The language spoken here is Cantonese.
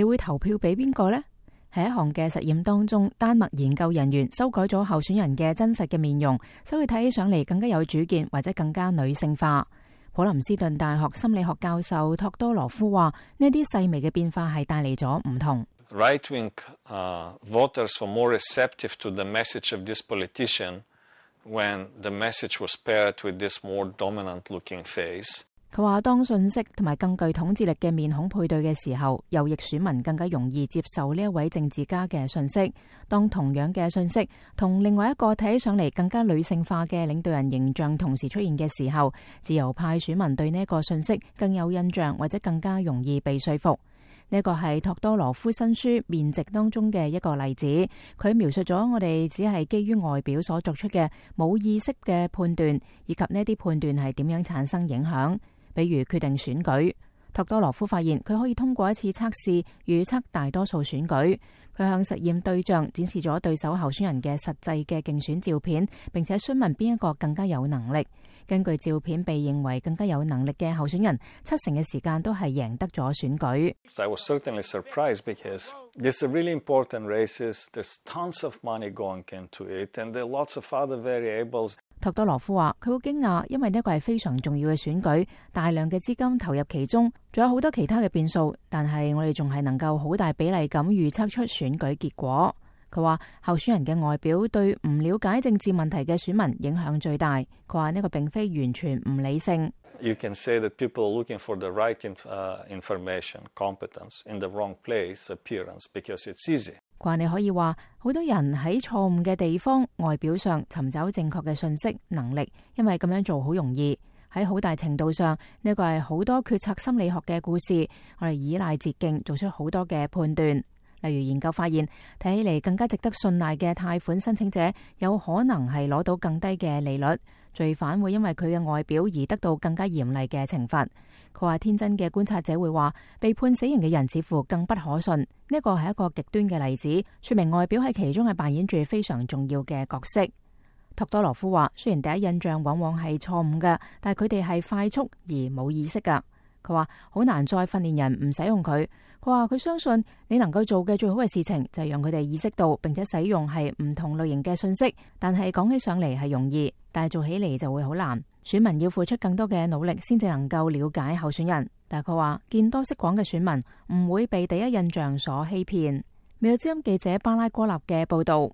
你會投票俾邊個呢？喺一項嘅實驗當中，丹麥研究人員修改咗候選人嘅真實嘅面容，使佢睇起上嚟更加有主見或者更加女性化。普林斯頓大學心理學教授托多羅夫話：呢啲細微嘅變化係帶嚟咗唔同。Right-wing voters were more receptive to the message of this politician when the message was paired with this more dominant-looking face. 佢話當信息同埋更具統治力嘅面孔配對嘅時候，右翼選民更加容易接受呢一位政治家嘅信息。當同樣嘅信息同另外一個睇起上嚟更加女性化嘅領導人形象同時出現嘅時候，自由派選民對呢一個信息更有印象或者更加容易被說服。呢個係托多羅夫新書《面值》當中嘅一個例子。佢描述咗我哋只係基於外表所作出嘅冇意識嘅判斷，以及呢啲判斷係點樣產生影響。比如決定選舉，托多羅夫發現佢可以通過一次測試預測大多數選舉。佢向實驗對象展示咗對手候選人嘅實際嘅競選照片，並且詢問邊一個更加有能力。根據照片被認為更加有能力嘅候選人，70%嘅時間都係贏得咗選舉。I was certainly surprised because these are really important races. There's tons of money going into it, and there are lots of other variables. 托多羅夫話：佢好驚訝，因為呢個係非常重要嘅選舉，大量嘅資金投入其中，仲有好多其他嘅變數，但係我哋仲係能夠好大比例咁預測出選舉結果。佢話候選人嘅外表對唔了解政治問題嘅選民影響最大。佢話呢個並非完全唔理性。You can say that people are looking for the right information, competence in the wrong place, appearance, because it's easy. 佢話你可以話好多人喺錯誤嘅地方外表上尋找正確嘅信息能力，因為咁樣做好容易。喺好大程度上，呢個係好多決策心理學嘅故事。我哋依賴捷徑做出好多嘅判斷。例如研究發現，睇起嚟更加值得信賴嘅貸款申請者，有可能係攞到更低嘅利率。罪犯會因為佢嘅外表而得到更加嚴厲嘅懲罰。佢話天真嘅觀察者會話，被判死刑嘅人似乎更不可信。呢個係一個極端嘅例子，說明外表喺其中係扮演住非常重要嘅角色。托多羅夫話，雖然第一印象往往係錯誤嘅，但係佢哋係快速而冇意識㗎。佢話好難再訓練人唔使用佢。佢話佢相信你能夠做嘅最好嘅事情就係讓佢哋意識到並且使用係唔同類型嘅信息，但係講起上嚟係容易，但係做起嚟就會好難。選民要付出更多嘅努力先至能夠了解候選人，但係佢話見多識廣嘅選民唔會被第一印象所欺騙。美國之音記者巴拉哥納嘅報道。